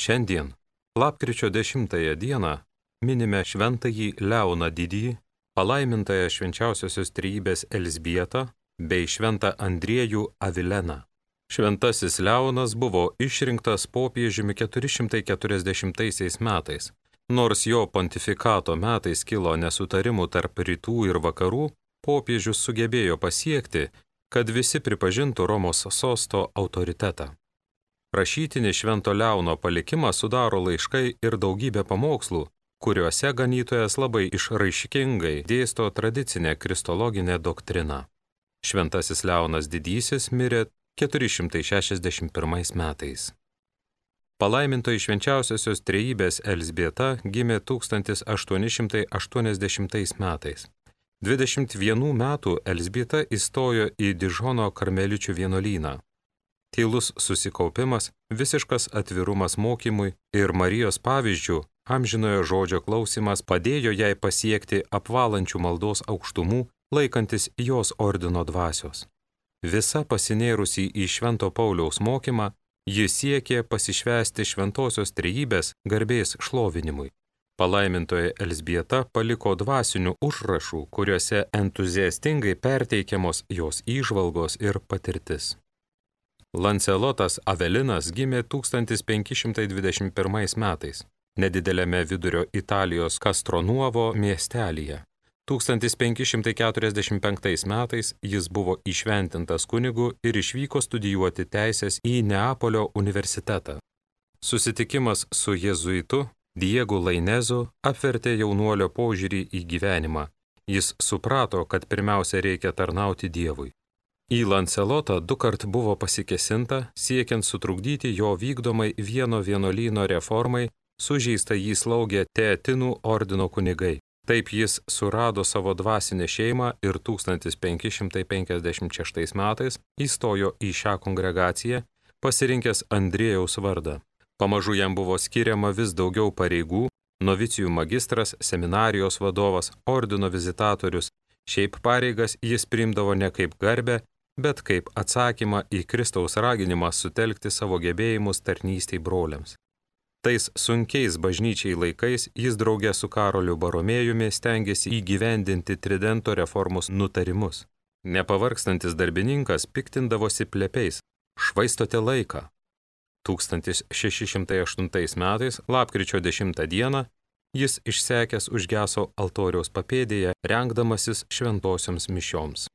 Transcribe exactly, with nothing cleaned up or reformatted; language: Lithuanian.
Šiandien, lapkričio dešimtąją dieną, minime šventąjį Leoną Didįjį, palaimintąją švenčiausiosios trejybės Elzbietą bei šventą Andriejų Avileną. Šventasis Leonas buvo išrinktas popiežiumi keturi šimtai keturiasdešimtaisiais metais. Nors jo pontifikato metais kilo nesutarimų tarp rytų ir vakarų, popiežius sugebėjo pasiekti, kad visi pripažintų Romos sosto autoritetą. Rašytinį Švento Leono palikimą sudaro laiškai ir daugybė pamokslų, kuriuose ganytojas labai išraiškingai dėsto tradicinę kristologinę doktriną. Šventasis Leonas Didysis mirė keturi šimtai šešiasdešimt pirmais metais. Palaimintoji švenčiausiosios trejybės Elzbieta gimė tūkstantis aštuoni šimtai aštuoniasdešimtais metais. dvidešimt vienų metų Elzbieta įstojo į Dižono karmeličių vienuolyną. Tylus susikaupimas, visiškas atvirumas mokymui ir Marijos pavyzdžių, amžinojo žodžio klausimas padėjo jai pasiekti apvalančių maldos aukštumų, laikantis jos ordino dvasios. Visa pasinėrusi į Švento Pauliaus mokymą, ji siekė pasišvęsti šventosios trejybės garbės šlovinimui. Palaimintoji Elzbieta paliko dvasinių užrašų, kuriuose entuziastingai perteikiamos jos įžvalgos ir patirtis. Lancelotas Avelinas gimė tūkstantis penki šimtai dvidešimt pirmais metais, nedideliame vidurio Italijos Castronuovo miestelyje. tūkstantis penki šimtai keturiasdešimt penktais metais jis buvo įšventintas kunigu ir išvyko studijuoti teisės į Neapolio universitetą. Susitikimas su jėzuitu Diegu Lainezu apvertė jaunuolio požiūrį į gyvenimą. Jis suprato, kad pirmiausia reikia tarnauti Dievui. Į Lancelotą dukart buvo pasikesinta, siekiant sutrukdyti jo vykdomai vieno vienuolyno reformai, sužeista jį slaugė Teatinų ordino kunigai. Taip jis surado savo dvasinę šeimą ir tūkstantis penki šimtai penkiasdešimt šeštais metais įstojo į šią kongregaciją, pasirinkęs Andriejaus vardą. Pamažu jam buvo skiriama vis daugiau pareigų, novicijų magistras, seminarijos vadovas, ordino vizitatorius. Šiaip pareigas jis priimdavo ne kaip garbę, bet kaip atsakymą į Kristaus raginimą sutelkti savo gebėjimus tarnystei broliams. Tais sunkiais bažnyčiai laikais jis draugė su Karoliu Baromėjumi stengiasi įgyvendinti Tridento reformos nutarimus. Nepavargstantis darbininkas piktindavosi plepiais: švaistote laiką. tūkstantis šeši šimtai aštuntais metais, lapkričio dešimtą dieną, jis išsekęs užgeso altoriaus papėdėje, rengdamasis šventosioms mišioms.